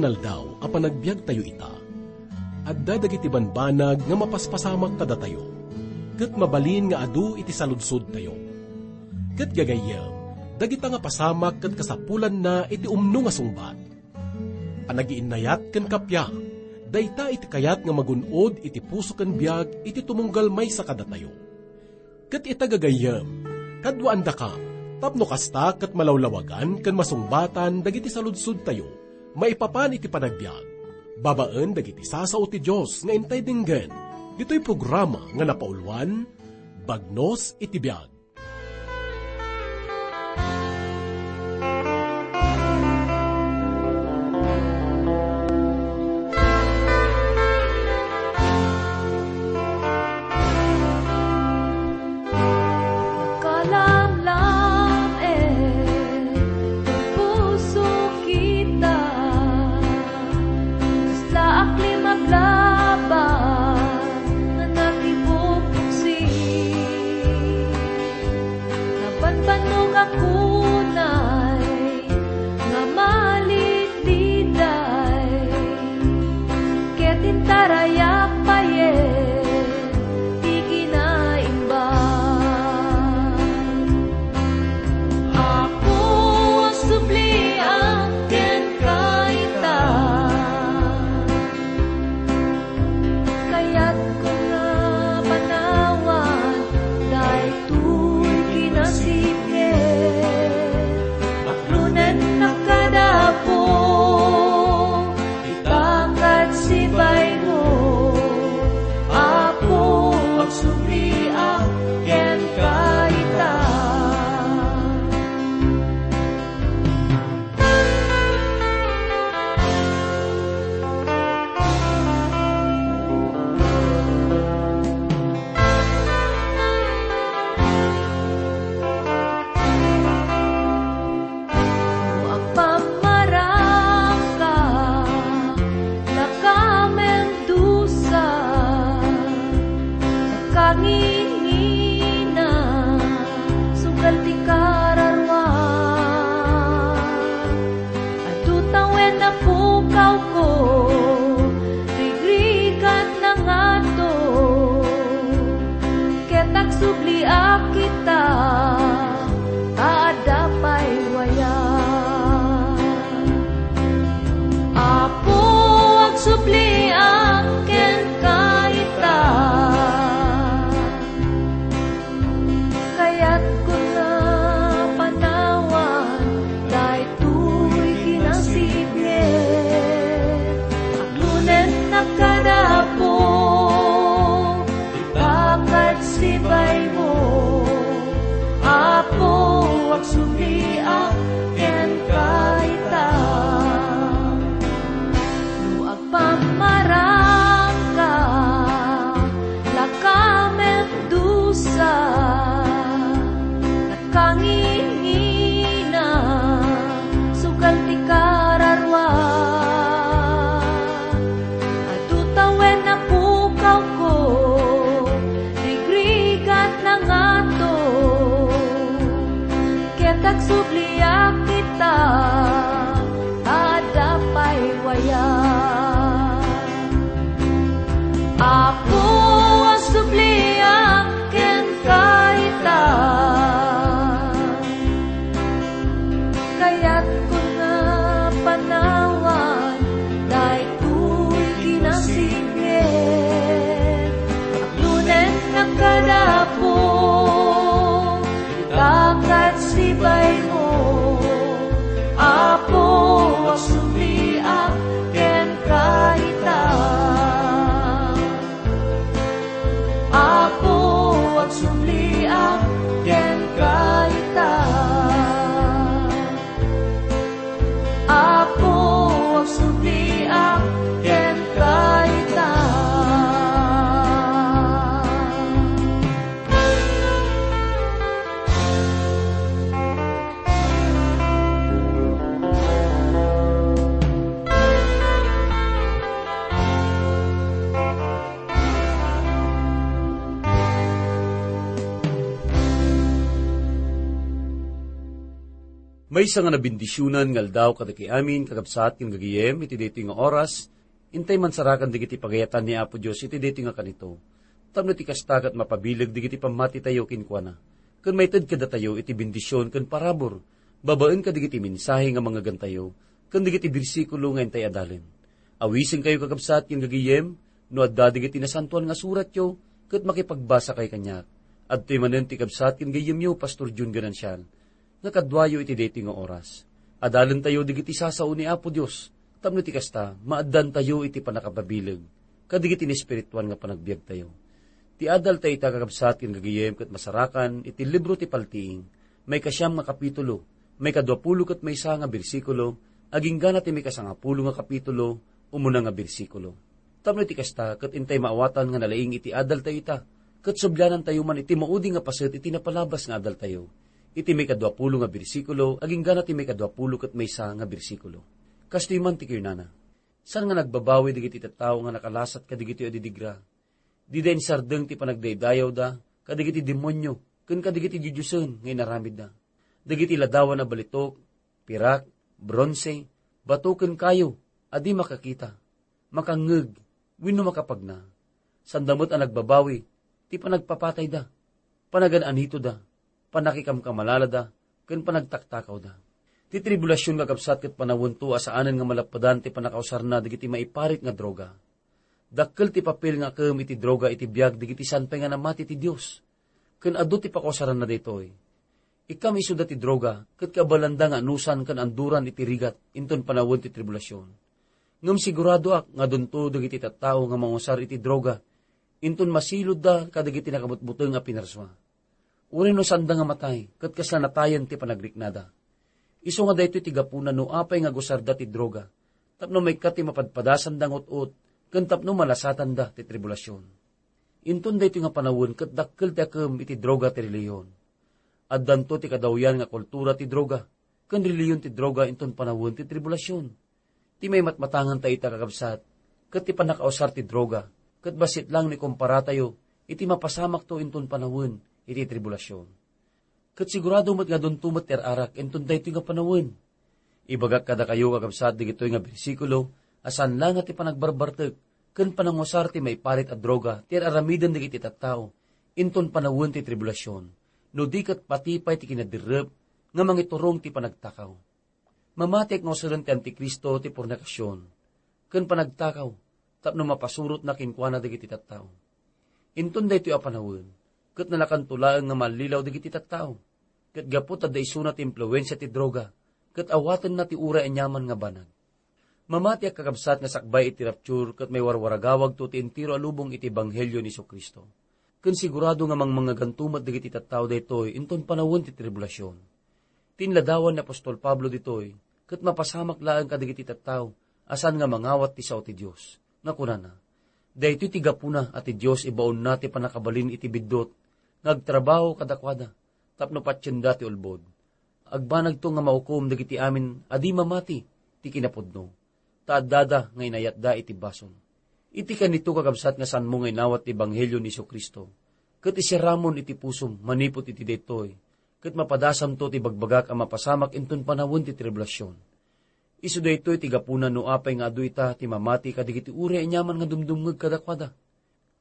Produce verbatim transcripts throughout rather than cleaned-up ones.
Aldaw a panagbiagtayo ita, adda dagiti banbanag nga mapaspasamak kadatayo, ket mabalin nga adu iti saludsodtayo. Ket gagayyem, dagita nga pasamak ket kasapulanna iti umno nga sungbat. Panagiinnayat ken kappia, dayta iti kayat nga magun-od iti puso ken biag iti tumunggal maysa kadatayo. Ket ita gagayyem, kaduaandakam, tapno kasta ket malawlawagan ken masungbatan dagiti saludsodtayo maipapan iti panagbiag, babaen dagiti sasao ti Dios nga intay denggen, ditoy programa nga napauluan, Bagnos iti Biag. Nakalamlam, eh, ti puso kita. Kasla a klim aglaban nga nakibuksi. Nabanbannog a kunay nga malitliday, ket intarayak payen ti kinaimbag. Apo, agsubliak kenka ita. Kayatko nga panawad daytoy kinasipnget. Baklonennak kada Apo, ita ket sibaymo. Apo, agsubliak kenka ita. No agpammarangka, lakamen dusa, nakangingina, sugal ti kararua. Adu tawen a pukawko, rigrigat na ngato, ket agsubliak ita, ta adda pay waya. Apo, agsubliak kenka ita. Maysa nga nabendisionan nga aldaw kadagiti amin, kakabsat ken gagayem, iti daytoy nga oras, intay mansarakan dagiti pagayatan ni Apo Dios iti daytoy nga kanito. Tapno iti kasta ket mapabileg dagiti pammatitayo kenkuana, ken maited kadatayo iti bendision ken parabur, babaen kadagiti mensahe nga mangngegantayo, ken dagiti bersikulo nga intay adalen. Awisenkayo, kakabsat ken gagayem, no adda dagiti nasantoan nga suratyo, ket makipagbasakay kaniak. Adtoy manen ti kabsat ken gayyemyo, Pastor Jun Ganancial, nga kaduayo iti daytoy nga oras. Adalentayo dagiti sasao ni Apo Dios, tapno iti kasta, maaddantayo iti pannakapabileg kadagiti naespirituan nga panagbiagtayo. Ti adalta ita, kakabsat ken gagayem, ket masarakan iti libro ti Paltiing, maikasiam nga kapitulo, maikaduapulo ket maysa nga bersikulo, agingga na ti maikasangapulo nga kapitulo, umuna nga bersikulo. Tapno iti kasta, ket intay maawatan nga nalaing iti adalta ita, ket sublianantayo man iti maudi nga paset iti napalabas nga adaltayo, iti maikaduapulo nga bersikulo, agingga na ti maikaduapulo ket maysa nga bersikulo. Kastoy man ti kinunana, saan nga nagbabawi dagiti tattao nga nakalasat kadagitoy a didigra? Dida insardeng ti panagdaydayawda kadagiti demonio ken kadagiti didiosen nga inaramidda. Dagiti ladawan a balitok, pirak, bronse, bato ken kayo a di makakita, makangngeg, wenno makapagna. Sanda met a nagbabawi ti panagpapatayda, panagan-anitoda, pannakikamkamalalada, ken panagtaktakawda. Ti tribulasion, kakabsat, ket panawento a saanen nga malappedan ti pannakausarna dagiti maiparit nga droga. Dakkel ti papel nga akem iti droga iti biag dagiti saan pay nga namati ti Dios. Ken adu ti pakausaranna daytoy. Ikkam isuda ti droga, ket kaaballanda nga anusan ken anduran iti rigat inton panawen ti tribulasion. Ngem siguradoak nga adunto dagiti tattao nga mangusar iti droga inton masiludda kadagiti nakabutbuteng a pinarsua. Uray no saanda nga matay, ket kasla natayen ti panagriknada. Isu nga daytoy ti gapuna no apay nga agusarda ti droga, tapno maikkat ti mapadpadasanda nga ut-ot, ken tapno malasatanda ti tribulasion. Inton daytoy nga panawen ket dakkel ti akem iti droga ti relihiyon. Addanto ti kadawyan nga kultura ti droga, ken relihiyon ti droga inton panawen ti tribulasion. Ti maimatmatanganta ita, kakabsat, ket ti pannakausar ti droga, ket bassit lang no ikomparatayo iti mapasamakto inton panawen iti tribulasion. Ket sigurado met nga adunto met ti ar-arak inton daytoy nga panawen. Ibagak kadakayo, kakabsat, dagitoy nga bersikulo a saan la nga ti panagbarbartek ken panangusar ti maiparit a droga ti ar-aramiden dagiti tattao inton panawen ti tribulasion, no di ket pati pay ti kinaderrep nga mangiturong ti panagtakaw. Mamatiek nga usaren ti Antikristo ti pornikasion ken panagtakaw tapno mapasurotna kenkuana dagiti tattao. Inton daytoy a panawen, ket nalakanto laeng nga mallilaw dagiti tattao, ket gapu ta adda isuna ti impluensia ti droga, ket awatenna ti uray aniaman nga banag. Mamatiek, kakabsat, nga sakbay iti rapture ket maiwarwaragawagto ti entero a lubong iti ebanghelio ni Jesu-Cristo. Ken sigurado nga mangmangngeganto met dagiti tattao daytoy inton panawen ti tribulasion. Ti inladawan ni apostol Pablo ditoy ket mapasamak laeng kadagiti tattao a saan nga mangawat ti sao ti Dios, nga kunana, "Daytoy ti gapuna a ti Dios ibaonna ti pannakabalin iti biddut nga agtrabaho kadakuada tapno patienda ti ulbod. Agbanagto nga maukom dagiti amin a di mamati ti kinapudno, ta addada nga inayatda iti basol." Iti kanito, kakabsat, nga saanmo nga inawat ti ebanghelio ni Jesu-Cristo, ket isiramon iti pusom manipud iti daytoy, ket mapadasamto ti bagbagak a mapasamak inton panawen ti tribulasion. Isu daytoy ti gapuna no apay nga adu ita ti mamati kadagiti uray aniaman nga dumdumngeg kadakuada.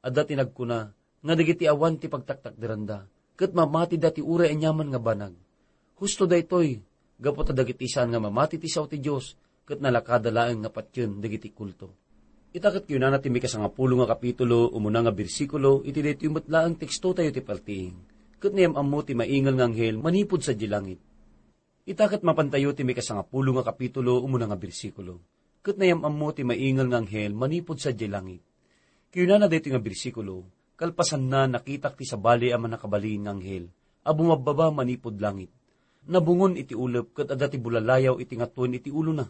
Adda ti nagkuna nga dagiti awan ti pagtaktakderanda ket mamatida ti uray aniaman nga banag. Husto daytoy, gapu ta dagiti saan nga mamati ti sao ti Dios ket nalakada laeng nga patien dagiti kulto. Ita ket kinunana ti maikasangapulo nga kapitulo, umuna nga bersikulo, iti daytoy met laeng tekstotayo ti paltiing, "Ket nayam-ammo ti maingel nga anghel manipud sadiay langit." Ita ket mapantayo ti maikasangapulo nga kapitulo, umuna nga bersikulo, "Ket nayam-ammo ti maingel nga anghel manipud sadiay langit." Kinunana daytoy nga bersikulo, "Kalpasanna, nakitak ti sabali a mannakabalin nga anghel a bumabbaba manipud langit. Nabungon iti ulep ket adda ti bulalayaw iti ngatuen iti ulona.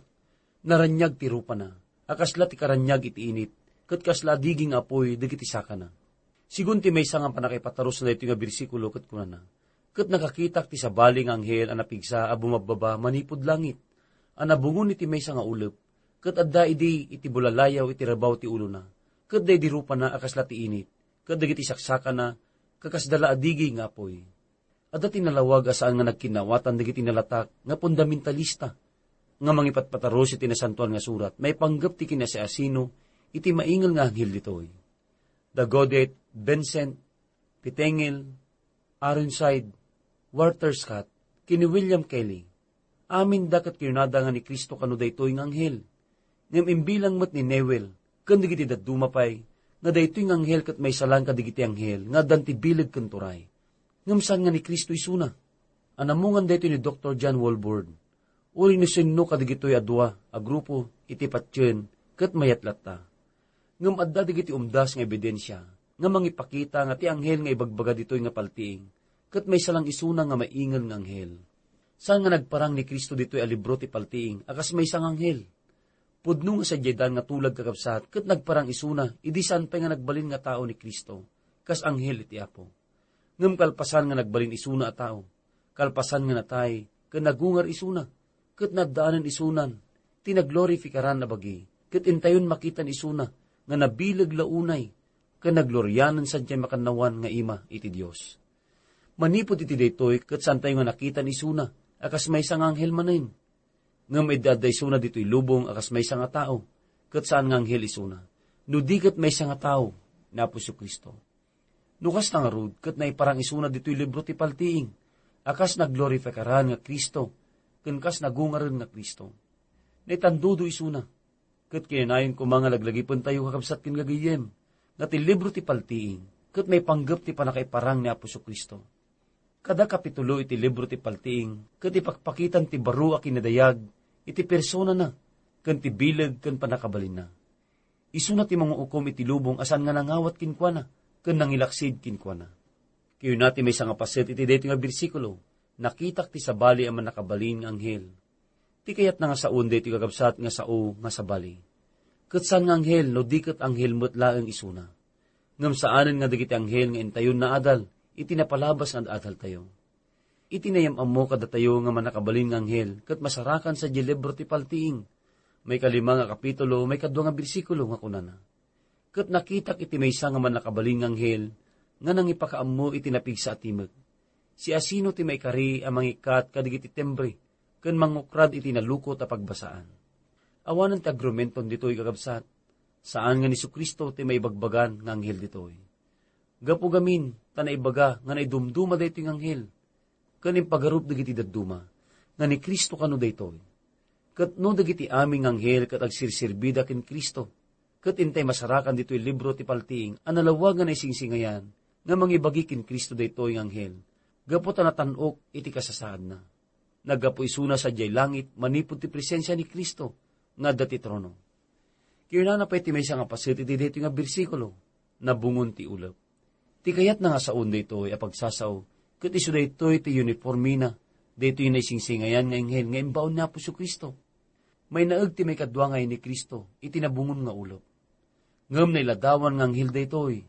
Naraniag ti rupana a kasla ti karaniag iti init, ket kasla a digi nga apuy dagiti sakana." Sigun ti maysa nga pannakaipatarusna daytoy nga bersikulo ket kunana, "Ket nakakitak ti sabali nga anghel a napigsa a bumabbaba manipud langit, a nabungon iti maysa nga ulep, ket adda idi iti bulalayaw iti rabaw ti ulona, ket daydi rupana a kasla ti init, ket dagiti saksakana kakasda la a digi nga apuy." Adda ti nalawag a saan nga nagkinnawatan dagiti nalatak nga fundamentalista nga mangipatpatarus iti Nasantoan nga Surat maipanggep ti kinasiasino iti maingel nga anghel ditoy. Da Godet, Vincent, Pettengill, Ironside, Walter Scott, ken ni William Kelly, aminda ket kinunada nga ni Cristo kano daytoy nga anghel. Ngem imbilang met ni Newell ken dagiti dadduma pay nga daytoy nga anghel ket maysa laeng kadagiti anghel nga addan ti bileg ken turay. Ngem saan nga ni Cristo isuna. Anamungan daytoy ni Doktor John Walvoord. Uray no sinno kadagitoy a dua a grupo iti patien ket mayat latta. Ngem adda dagiti umdas nga ebidensia nga mangipakita nga ti anghel nga ibagbaga ditoy nga paltiing ket maysa laeng isuna nga maingel nga anghel. Saan nga nagparang ni Cristo ditoy a libro ti paltiing a kas maysa nga anghel? Pudno nga sadiay daan nga tulag, kakabsat, ket nagparang isuna idi saan pay nga nagbalin nga tao ni Cristo, kas anghel iti Apo. Ngem kalpasan nga nagbalin isuna a tao, kalpasan nga natay, ken nagungar isuna, ket naddaanen isunan ti naglorifikaran a bagi, ket intayon makitan isuna nga nabileg la unay ken naglorianen sadiay makannawan nga ima iti Dios. Manipud iti daytoy, ket saantayo nga nakitan isuna a kas maysa nga anghel manen. Ngem idi adda isuna ditoy lubong a kas maysa nga tao, ket saan nga anghel isuna, no di ket maysa nga tao, ni Apo Jesu-Cristo. No kasta ngarud, ket naiparang isuna ditoy libro ti paltiing a kas naglorifikaran nga Cristo ken kas nagungaren nga Cristo. Naitandudo isuna, ket kinanayon koma nga laglagipentayo, kakabsat ken gagayyem, nga ti libro ti paltiing ket maipanggep ti pannakaiparang ni Apo Jesu-Cristo. Kada kapitulo iti libro ti paltiing ket ipakpakitan ti baro a kinadayag iti personana ken ti bileg ken pannakabalinna. Isuna ti mangukom iti lubong a saan nga nangawat kenkuana ken nangilaksid kenkuana. Kayuna ti maysa nga paset iti daytoy nga bersikulo, "Nakitak ti sabali a mannakabalin nga anghel." Ti kayatna nga saoen daytoy, kakabsat, nga sao nga sabali. Ket saan nga anghel no di ket anghel met laeng isuna. Ngem saanen nga dagiti anghel nga intayon naadal iti napalabas nga ad-adaltayo. Iti nayam-ammo kadatayo nga mannakabalin nga anghel ket masarakan sadiay libro ti paltiing, maikalima nga kapitulo, maikadua nga bersikulo, nga kunana, "Ket nakitak iti maysa nga mannakabalin nga anghel nga nangipakaammo iti napigsa a timek. Siasino ti maikari a mangikkat kadagiti timbre ken mangukrad iti nalukot a pagbasaan?" Awanen ti agrumenton ditoy, kakabsat. Saan nga ni Jesu-Cristo ti maibagbagan nga anghel ditoy. Gapu gamin ta naibaga nga naidumduma daytoy nga anghel ken impagarup dagiti dadduma nga ni Cristo kano daytoy. Ket no dagiti amin nga anghel ket agsirsirbida ken Cristo, ket intay masarakan ditoy libro ti paltiing a nalawag nga naisingsingayan nga mangibagi ken Cristo daytoy nga anghel, gapu ta natan-ok iti kasasaadna. Naggapu isuna sadiay langit manipud ti presensia ni Cristo nga adda ti trono. Kinunana pay ti maysa nga paset iti daytoy nga bersikulo, "Nabungon ti ulep." Ti kayatna nga saoen daytoy a pagsasao, ket isu daytoy ti uniformena daytoy naisingsingayan nga anghel nga imbaon ni Apo Jesu-Cristo. Mainaeg ti maikadua nga yayen ni Cristo iti nabungon nga ulep. Ngem nailadawan nga anghel daytoy,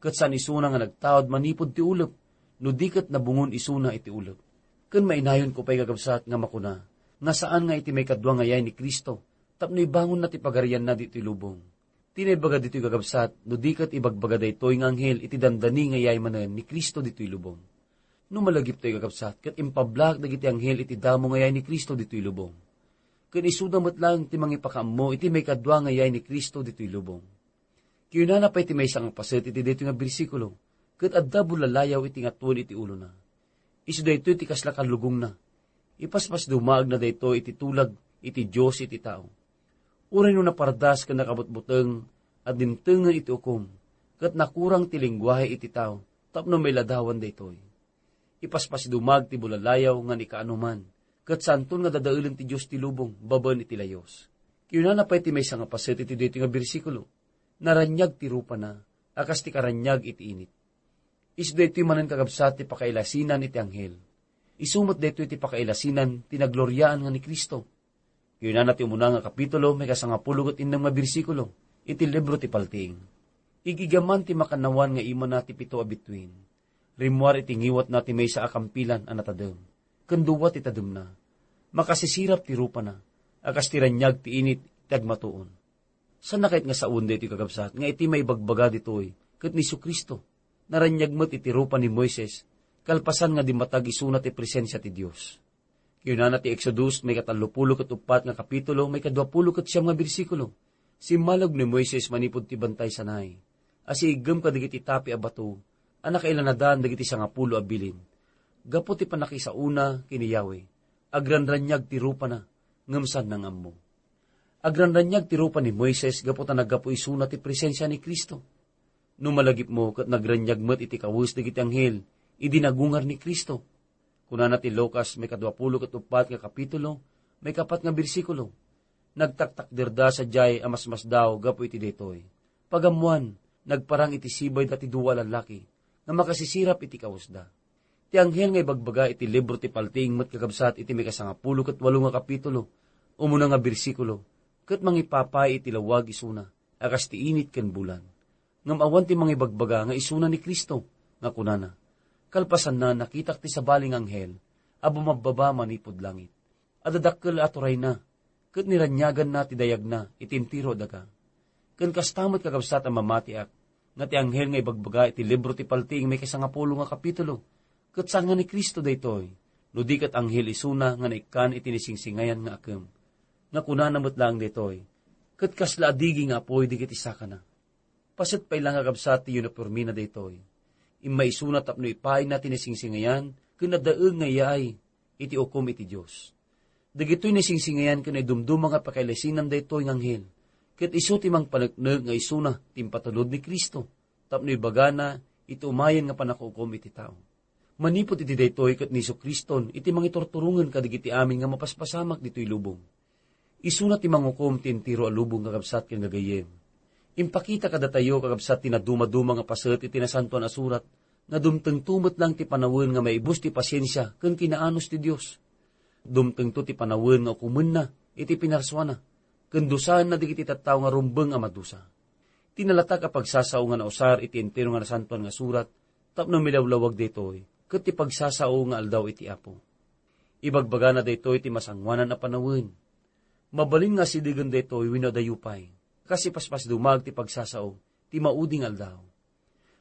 ket saan isuna nga nagtaud manipud ti ulep, no di ket nabungon isuna iti ulep. Ken mainayon ko pay, kakabsat, nga makuna nga saan nga iti maikadua nga yayen ni Cristo tapno ibangonna ti pagarianna ditoy lubong. Ti naibaga ditoy, kakabsat, no di ket ibagbaga daytoy nga anghel iti dandani nga yayen manen ni Cristo ditoy lubong. No malagiptayo, kakabsat, ket impablaak dagiti anghel iti damo nga yayen ni Cristo ditoy lubong. Ken isuda met laeng ti mangipakaammo iti maikadua nga yayen ni Cristo ditoy lubong. Kinunana pay ti maysa nga paset iti daytoy nga bersikulo, ket adda bulalayaw iti ngatoen iti ulona. Isu daytoy ti kasla kallugongna. Ipaspasdumaagna daytoy iti tulag iti Dios iti tao. Uray no napardas ken nakabutbuteng a dimtengen iti ukom, ket nakurang ti lenguahe iti tao tapno mailadawan daytoy. Ipaspasdumag ti bulalayaw nga ni kaanoman, ket saanton nga dadaelen ti Dios ti lubong babaen iti layos. Kinunana pay ti maysa nga paset iti daytoy nga bersikulo, "Naraniag ti rupana a kas ti karaniag iti init." Isu daytoy manen, kakabsat, ti pakailasinan iti anghel. Isu met daytoy ti pakailasinan ti nagloriaan nga ni Cristo. Kinunana ti umuna nga kapitulo, maikasangapulo ket innem nga bersikulo iti libro ti Paltiing, "Igigaman ti makannawan nga imana ti pito a bituen, rimmuar iti ngiwatna ti maysa a kampilan a natadem, ken dua ti tademna. Makasisirap ti rupana a kas ti raniag ti init ti agmatuon." Saanna kayat nga saoen daytoy, kakabsat, nga iti maibagbaga ditoy ket ni Jesu-Cristo naraniag met iti rupa ni Moises kalpasan nga dimmatag isuna ti presensia ti Dios. Kinunana ti Exodus, maikatallopulo ket uppat nga kapitulo, maikaduapulo ket siam nga bersikulo, "Simmalog ni Moises manipud ti bantay Sinai, a siiggem kadagiti tapi a bato a nakailanadan dagiti sangapulo a bilin. Gapu ti pannakisaona ken ni Yahweh, agranraniag ti rupana, ngem saanna nga ammo." Agranraniag ti rupa ni Moises gapu ta naggapu isuna ti presensia ni Cristo. No malagipmo ket nagraniag met iti kawes dagiti anghel idi nagungar ni Cristo. Kunana ti Lucas, maikaduapulo ket uppat nga kapitulo, maikapat nga bersikulo, "Nagtaktakderda sadiay a masmasdaw gapu iti daytoy. Pagammoan, nagparang iti sibayda ti dua a lallaki nga makasisirap iti kawesda." Ti anghel nga ibagbaga iti libro ti paltiing met kakabsat iti maikasangapulo ket walo nga kapitulo, umuna nga bersikulo, ket mangipapay iti lawag isuna a kas ti init ken bulan. Ngem awan ti mangibagbaga nga isuna ni Cristo, nga kunana, "Kalpasanna, nakitak ti sabali nga anghel a bumabbaba manipud langit. Adda dakkel a turayna, ket niraniaganna ti dayagna iti entero a daga." Ken kasta met, kakabsat, a mamatiak, nga ti anghel nga ibagbaga iti libro ti paltiing maikasangapulo nga kapitulo, ket saan nga ni Cristo daytoy, no di ket anghel isuna nga naikkan iti nasingsingayan nga akem. Nga kunana met laeng daytoy, "Ket kasla a digi nga apuy dagiti sakana." Paset pay laeng, kakabsat, ti unipormena daytoy. Immaisuna tapno ipayna ti nasingsingayan ken adda eng nga iyaay iti ukom iti Dios. Dagitoy nasingsingayan ken naidumduma nga pakailasinan daytoy nga anghel, ket isu ti mangpaneknek nga isuna ti impatulod ni Cristo tapno ibagana iti umayen nga pannakaukom iti tao. Manipud iti daytoy ket ni Jesu-Criston iti mangiturturongen kadagiti amin nga mapaspasamak ditoy lubong. Isuna ti mangukom ti entero a lubong, kakabsat ken gagayyem. Impakita kadatayo, kakabsat, ti nadumaduma nga paset iti Nasantoan a Surat nga dumtengto met laeng ti panawen nga maibus ti pasiensia ken kinaanus ti Dios. Dumtengto ti panawen nga ukomenna iti pinarsuana ken dusaenna dagiti tattao nga rumbeng a madusa. Ti nalatak a pagsasao nga nausar iti entero nga Nasantoan nga Surat tapno milawlawag daytoy ket ti pagsasao nga aldaw iti Apo. Ibagbagana daytoy ti masangoanan a panawen. Mabalin nga asidegen daytoy wenno adayo pay, kas ipaspasdumag ti pagsasao ti maudi nga aldaw.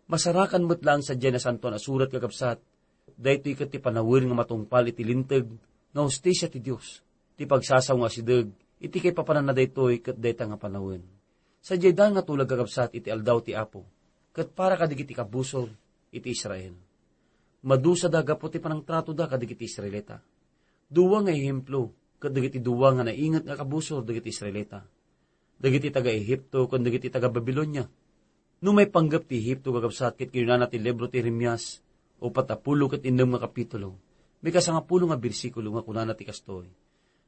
Masarakan met laeng sadiay Nasantoan a Surat, kakabsat, daytoy ket ti panawen nga matungpal iti linteg nga hustisia ti Dios. Ti pagsasao nga asideg iti kaipapananna daytoy ket dayta nga panawen. Sadiay daan nga tulag, kakabsat, iti aldaw ti Apo, ket para kadagiti kabusor iti Israel. Madusada gapu ti panangtratoda kadagiti Israelita. Dua nga ehemplo ket dagiti dua nga nainget nga kabusor dagiti Israelita, dagiti taga-Egipto ken dagiti taga-Babilonia. No maipanggep ti Egipto, kakabsat, ket kinunana ti libro ti Jeremias, upat a pulo ket innem nga kapitulo, maikasangapulo nga bersikulo, nga kunana ti kastoy,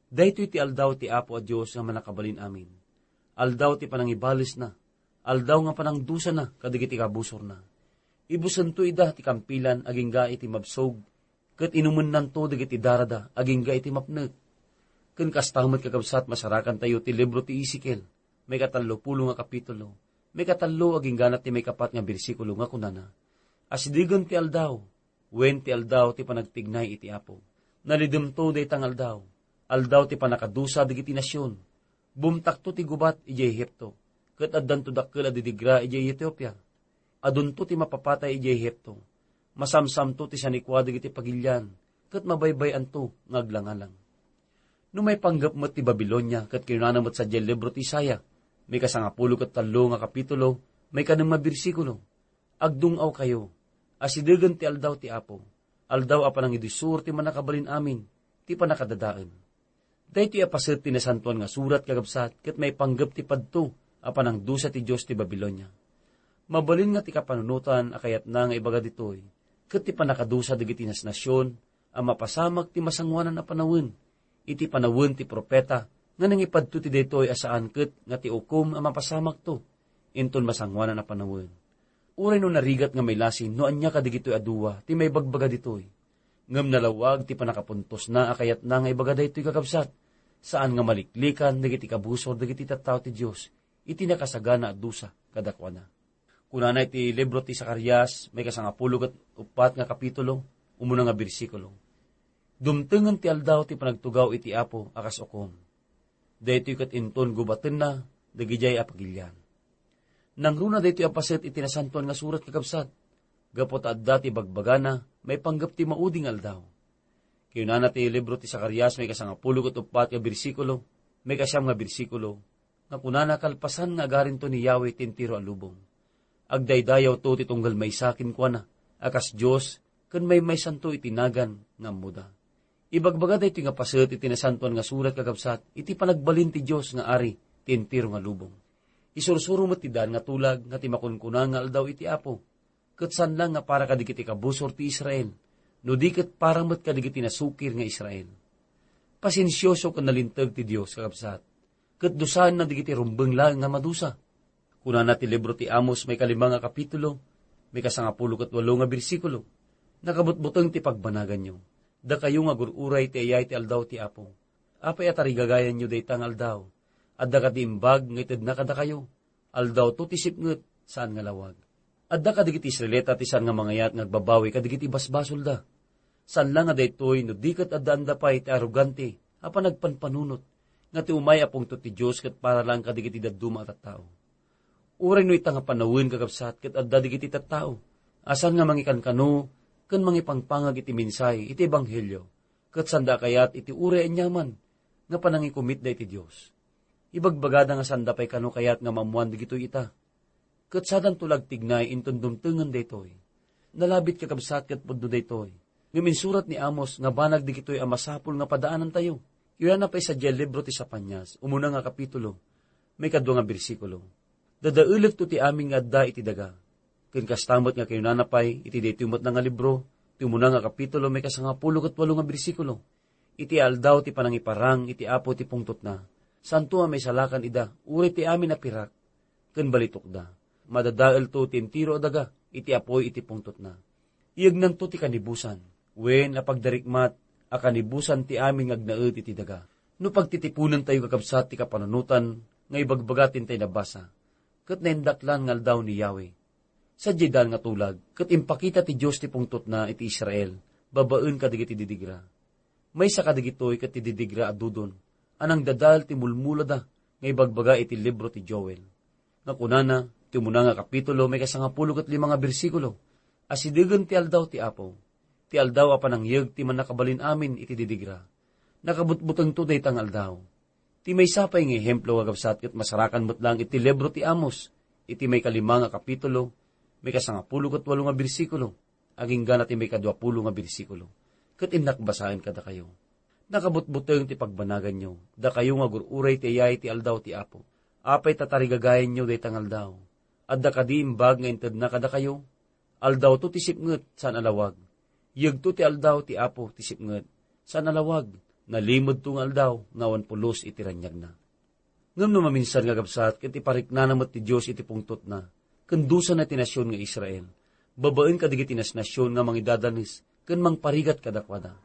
"Daytoy ti aldaw ti Apo a Dios nga Mannakabalin-amin. Aldaw ti panangibalesna, aldaw nga panangdusana kadagiti kabusorna. Ibusento ida ti kampilan agingga iti mabsog, ket inumennanto dagiti darada agingga iti mapnek." Ken kasta met, kakabsat, masarakantayo ti libro ti Ezekiel, maikatallopulo nga kapitulo, maikatallo agingga ti maikapat nga bersikulo, nga kunana, "Asidegen ti aldaw, wen ti aldaw ti panagtignay iti Apo. Nalidemto dayta nga aldaw, aldaw ti pannakadusa dagiti nasion. Bumtakto ti gubat idiay Egipto, ket addanto dakkel a didigra idiay Etiopia. Adunto ti mapapatay idiay Egipto. Masamsamto ti sanikua dagiti pagilian, ket mabaybay-anto nga aglangalang." No maipanggep met ti Babilonia, ket kinunana met sadiay libro ti Isaiah, maikasangapulo ket tallo nga kapitulo, maikanem nga bersikulo, "Agdung-awkayo, asidegen ti aldaw ti Apo, aldaw a panangidusor ti Mannakabalin-amin, ti pannakadadael." Daytoy a paset ti Nasantoan nga Surat, kakabsat, ket maipanggep ti padto a panangdusa ti Dios ti Babilonia. Mabalin nga ti kapanunotan a kayatna nga ibaga ditoy, ket ti pannakadusa dagiti nasnasion a mapasamak ti masangoanan a panawen, iti panawen ti profeta nga nangipadto ti daytoy a saan ket nga ti ukom a mapasamakto inton masangoanan a panawen. Uray no narigat nga mailasin no ania kadagitoy a dua ti maibagbaga ditoy. Ngem nalawag ti pannakapuntosna a kayatna nga ibaga daytoy, kakabsat, saan nga maliklikan dagiti kabusor dagiti tattao ti Dios iti nakasagana a dusa kadakuada. Kunana iti libro ti Zacarias, maikasangapulo ket uppat nga kapitulo, umuna nga bersikulo, "Dumtengen ti aldaw ti panagtugaw iti Apo a kas ukom. Daytoy ket inton gubatenna dagidiay a pagilian." Nangruna daytoy a paset iti Nasantoan nga Surat, kakabsat. gapu ta adda ti bagbagana maipanggep ti maudi nga aldaw. Kinunana ti libro ti Zacarias, maikasangapulo ket uppat nga bersikulo, maikasiam nga bersikulo, nga kunana kalpasan nga agarinto ni Yahweh ti entero a lubong. Agdaydayawto ti tunggal maysa kenkuana a kas Dios ken maymaysanto iti nagan nga ammoda. Ibagbaga daytoy nga paset iti Nasantoan nga Surat, kakabsat, iti panagbalin ti Dios nga Ari ti entero nga lubong. Isursuro met ti daan nga tulag nga ti makunkuna nga aldaw iti Apo, ket saan laeng nga para kadagiti kabusor ti Israel, no di ket para met kadagiti nasukir nga Israel. Pasensioso ken nalinteg ti Dios, kakabsat, ket dusaenna dagiti rumbeng laeng nga madusa. Kunana ti libro ti Amos, maikalima nga kapitulo, maikasangapulo ket walo nga bersikulo, "Nakabutbuteng ti pagbanaganyo, dakayo nga agur-uray ti ayay ti aldaw ti Apo. Apay a tarigagayanyo dayta nga aldaw? Adda kadi imbag nga itedna kadakayo? Aldawto ti sipnget, saan nga lawag." Adda kadagiti Israelita ti saan nga mangayat nga agbabawi kadagiti basbasolda. Saan la nga daytoy no di ket addaanda pay ti arogante a panagpanpanunot nga ti umay a pungtot ti Dios ket para laeng kadagiti dadduma a tattao. Uray no ita nga panawen, kakabsat, ket adda dagiti tattao a saan nga mangikankano ken mangipangpangag iti mensahe iti ebanghelio, ket saanda a kayat iti uray aniaman nga panangikumitda iti Dios. Ibagbagada nga saanda pay kano kayat nga maammoan dagitoy ita. Ket sadanto la agtignay inton dumtengen daytoy. Nalabit, kakabsat, ket pudno daytoy. Ngem insurat ni Amos nga banag dagitoy a masapul nga padaanantayo. Kunana pay sadiay libro ti Sapanias, umuna nga kapitulo, maikadua nga bersikulo, "Dadaelekto ti amin nga adda iti daga." Ken kasta met nga kinunana pay iti daytoy met nga libro, ti umuna nga kapitulo, maikasangapulo ket walo nga bersikulo, "Iti aldaw ti panangiparang iti Apo ti pungtotna, saanto a maisalakan ida, uray ti amin a pirak ken balitukda. Madadaelto ti entero a daga iti apuy iti pungtotna. Iyegnanto ti kanibusan, wen a pagdarikmat a kanibusan ti amin nga agnaed iti daga." No pagtitiponentayo, kakabsat, ti kapanunotan nga ibagbaga ti intay nabasa, ket naindaklan nga aldaw ni Yahweh. Sadiay daan nga tulag, ket impakita ti Dios ti pungtotna iti Israel babaen kadagiti didigra. Maysa kadagitoy ket ti didigra a dudon a nangdadael ti mulmulada nga ibagbaga iti libro ti Joel, nga kunana, ti umuna nga kapitulo, maikasangapulo ket lima nga bersikulo, "Asidegen ti aldaw ti Apo, ti aldaw a panangyeg ti Mannakabalin-amin iti didigra. Nakabutbutengto dayta nga aldaw." Ti maysa pay nga ehemplo, kakabsat, ket masarakan met laeng iti libro ti Amos, iti maikalima nga kapitulo, maikasangapulo ket walo nga bersikulo, agingga na ti maikaduapulo nga bersikulo. Ket innak basaen kadakayo, "Nakabutbuteng ti pagbanaganyo, dakayo nga agur-uray ti ayay ti aldaw ti Apo. Apay ta tarigagayanyo dayta nga aldaw? Adda kadi imbag nga intedna kadakayo? Aldawto ti sipnget, saan a lawag. Yegto ti aldaw ti Apo ti sipnget, saan a lawag. Nalimedto nga aldaw nga awan pulos iti raniagna." Ngem no maminsan, kakabsat, ket ipariknana met ti Dios iti pungtotna, ken dusana ti nasion nga Israel, babaen kadagiti nasnasion nga mangidadanes ken mangparigat kadakuada.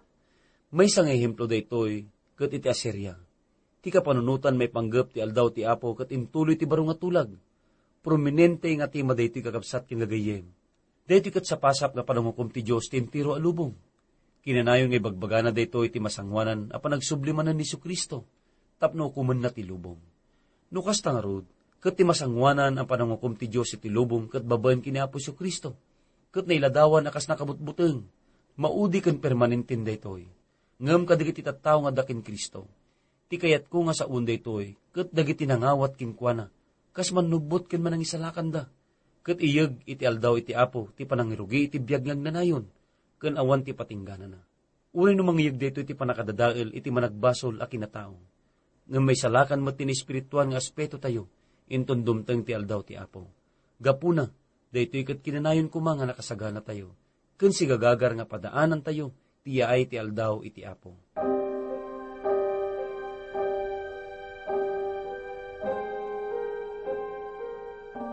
Maysa nga ehemplo daytoy ket iti Asiria. Ti kapanunotan maipanggep ti aldaw ti Apo ket intuloy ti baro nga tulag. Prominente nga tema daytoy, kakabsat ken gagayyem. Daytoy ket sapasap nga pananghukom ti Dios ti entero a lubong. Kinanayon nga ibagbagana daytoy ti masangoanan a panagsubli manen ni Jesu-Cristo tapno ukomenna ti lubong. No kasta ngarud, ket ti masangoanan a pananghukom ti Dios iti lubong ket babaen ken ni Apo Jesu-Cristo, ket nailadawan a kas nakabutbuteng, maudi ken permanenten daytoy. Ngem kadagiti tattao nga adda ken Cristo, ti kayatko nga saoen daytoy ket dagiti nangawat kenkuana, kas mannubbot ken manangisalakanda, ket iyeg iti aldaw iti Apo ti panangirugi iti biag nga agnanayon ken awan ti patingganana. Uray no mangiyeg daytoy ti pannakadadael iti managbasol a kinatao, ngem maisalakan met ti naespirituan nga aspetotayo inton dumteng ti aldaw ti Apo. Gapuna, daytoy ket kinanayon koma nga nakasaganatayo ken sigagagar nga padaanantayo ti yaay ti aldaw iti Apo.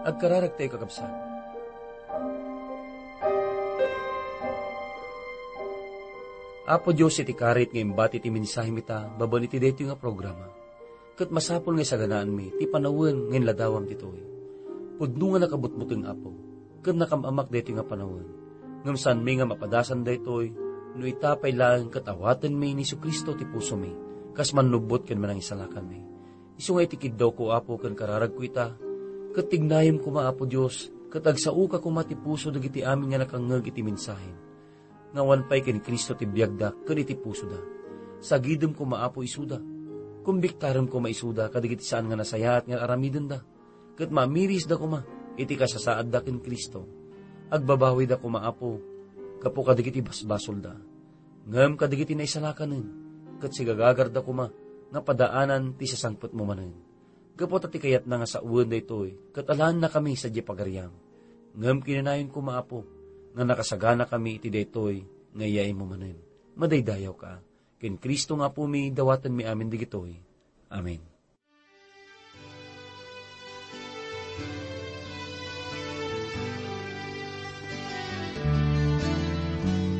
Agkararagtayo, kakabsat. Apo Dios, iti karit nga imbati ti mensahem ita babaen iti daytoy nga programa. Ket masapul nga isaganaanmi ti panawen nga inladawam ditoy. Pudno nga nakabutbuteng, Apo, ket nakam-amak daytoy nga panawen. Ngem saanmi nga mapadasan daytoy no ita pay laeng ket awatenmi ni Jesu-Cristo ti pusomi kas mannubbot ken manangisalakanmi. Isu nga iti kiddawko, Apo, ken kararagko ita, ket tignayem koma, Apo Dios, ket agsaoka koma ti puso dagiti amin nga nakangngeg iti mensahem, nga awan pay ken Cristo ti biagda ken iti pusoda. Sagidem koma, Apo, isuda. Kumbiktarem koma isuda kadagiti saan nga nasayaat nga aramidenda, ket mamirisda koma iti kasasaadda ken Cristo. Agbabawida koma, Apo, gapu kadagiti basbasolda. Ngem kadagiti naisalakanen, ket sigagagarda koma nga padaanan ti sasangpetmo manen. Gapu ta ti kayatna nga sawen daytoy, ket alaennakami sadiay pagariam. Ngem kinunayonko, Apo, nga nakasaganakami iti daytoy nga iyaaymo manen. Madaydayawka. Ken Cristo nga Apomi, dawatenmi amin dagitoy. Amen.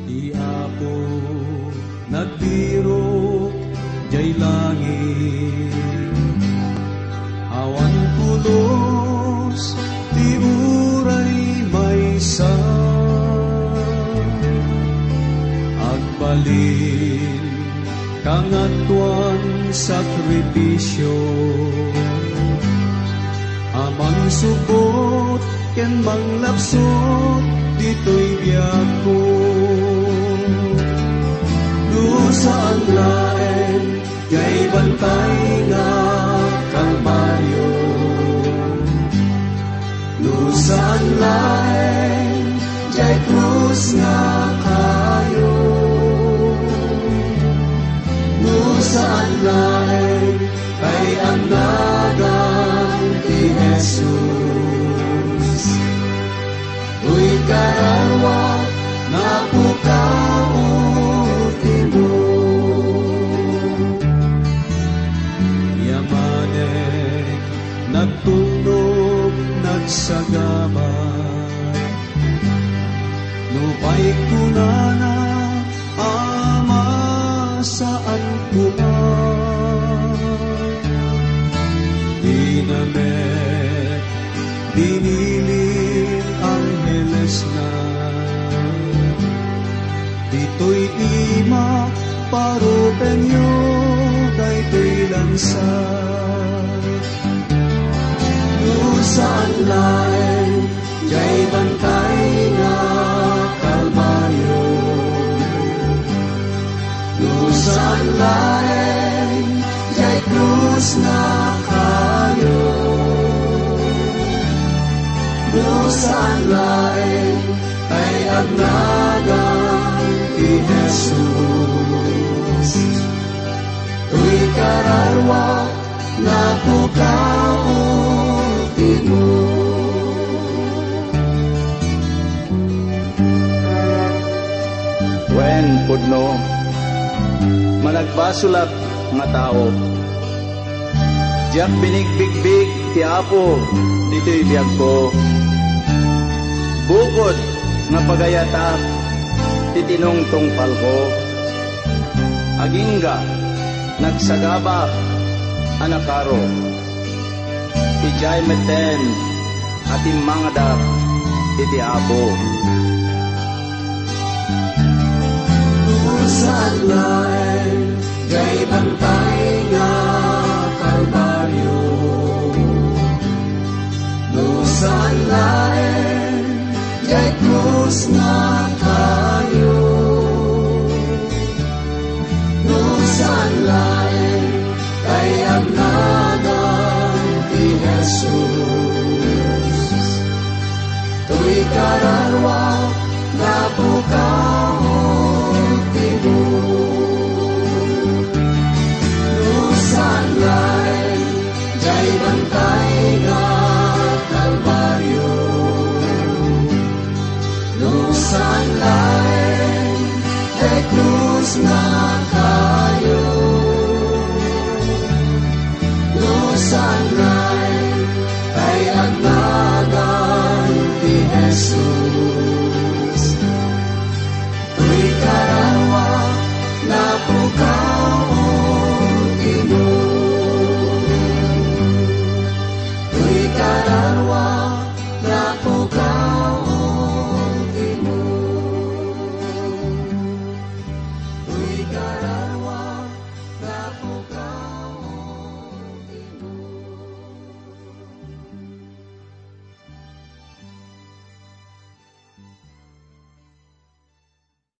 Ti Apo nagbirok jay langit. Awan pulos ti uray maysa. Agbalin kangatoan sakrifisio a mangsupot ken manglapsot ditoy biagko. No saan laeng jay bantay nga Kalbaryo, no saan laeng jay krus nga kayo, no saan laeng kay annagan ti Jesus. Toy kararua nga pukao ti mo. Yamanek nagtulnog nagsagaba. Nupay kunana, Ama, saan koma. Dina met binili anghelesna. Ditoy ima, parupenyo daytoy lansa. No saan laeng jay bantay nga Kalbaryo, no saan laeng jay krus nga kayo, no saan laeng kay agnagan ti Jesus. Toy kararua nga pukao ti mo. Wen, pudno, managbasolak nga tao. Diak binigbigbig ti Apo ditoy biagko. Bukod nga pagayatak ti tinungtungpalko, agingga nagsagabak a nakaro. Idiay metten a timmangadak iti Apo. No saan laeng jay bantay